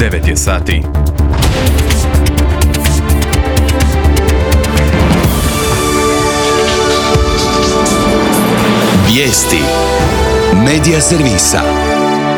9 je sati. Vijesti Medija servisa.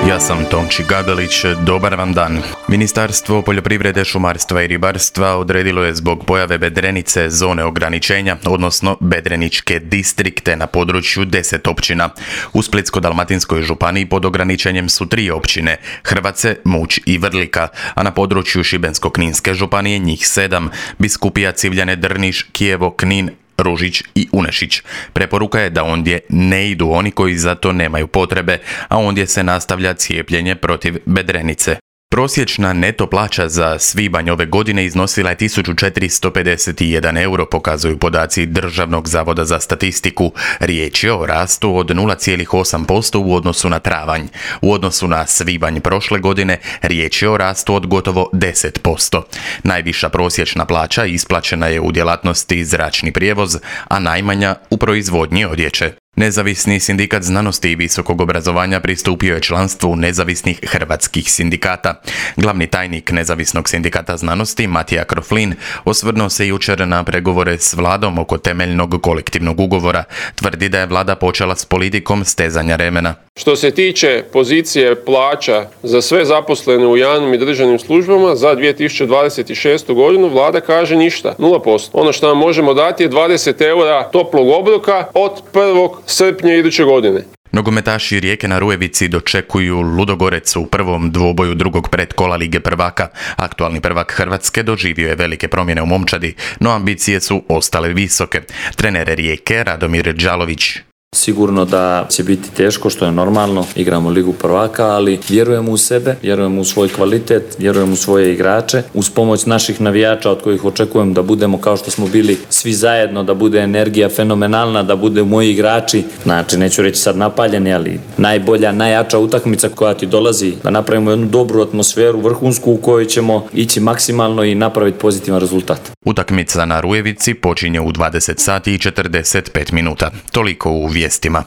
Ja sam Tonči Gabelić, dobar vam dan. Ministarstvo poljoprivrede, šumarstva i ribarstva odredilo je zbog pojave bedrenice zone ograničenja, odnosno bedreničke distrikte na području 10 općina. U Splitsko-dalmatinskoj županiji pod ograničenjem su 3 općine, Hrvace, Muć i Vrlika, a na području Šibensko-kninske županije njih 7, Biskupija, Civljane, Drniš, Kijevo, Knin, Ružić i Unešić. Preporuka je da ondje ne idu oni koji za to nemaju potrebe, a ondje se nastavlja cijepljenje protiv bedrenice. Prosječna neto plaća za svibanj ove godine iznosila je 1451 euro, pokazuju podaci Državnog zavoda za statistiku. Riječ je o rastu od 0,8% u odnosu na travanj. U odnosu na svibanj prošle godine riječ je o rastu od gotovo 10%. Najviša prosječna plaća isplaćena je u djelatnosti zračni prijevoz, a najmanja u proizvodnji odjeće. Nezavisni sindikat znanosti i visokog obrazovanja pristupio je članstvu nezavisnih hrvatskih sindikata. Glavni tajnik Nezavisnog sindikata znanosti, Matija Kroflin, osvrnuo se jučer na pregovore s vladom oko temeljnog kolektivnog ugovora. Tvrdi da je vlada počela s politikom stezanja remena. Što se tiče pozicije plaća za sve zaposlene u javnim i državnim službama za 2026. godinu, vlada kaže ništa, 0%. Ono što vam možemo dati je 20 eura toplog obroka od 1. srpnja iduće godine. Nogometaši Rijeke na Rujevici dočekuju Ludogorec u prvom dvoboju drugog predkola Lige prvaka. Aktualni prvak Hrvatske doživio je velike promjene u momčadi, no ambicije su ostale visoke. Trener Rijeke Radomir Đalović: Sigurno da će biti teško, što je normalno, igramo Ligu prvaka, ali vjerujemo u sebe, vjerujemo u svoj kvalitet, vjerujemo u svoje igrače, uz pomoć naših navijača od kojih očekujem da budemo kao što smo bili svi zajedno, da bude energija fenomenalna, da bude moji igrači, znači neću reći sad napaljeni, ali najbolja, najjača utakmica koja ti dolazi, da napravimo jednu dobru atmosferu, vrhunsku, u kojoj ćemo ići maksimalno i napraviti pozitivan rezultat. Utakmica na Rujevici počinje u 20 sati i 45 minuta. Toliko u vijestima.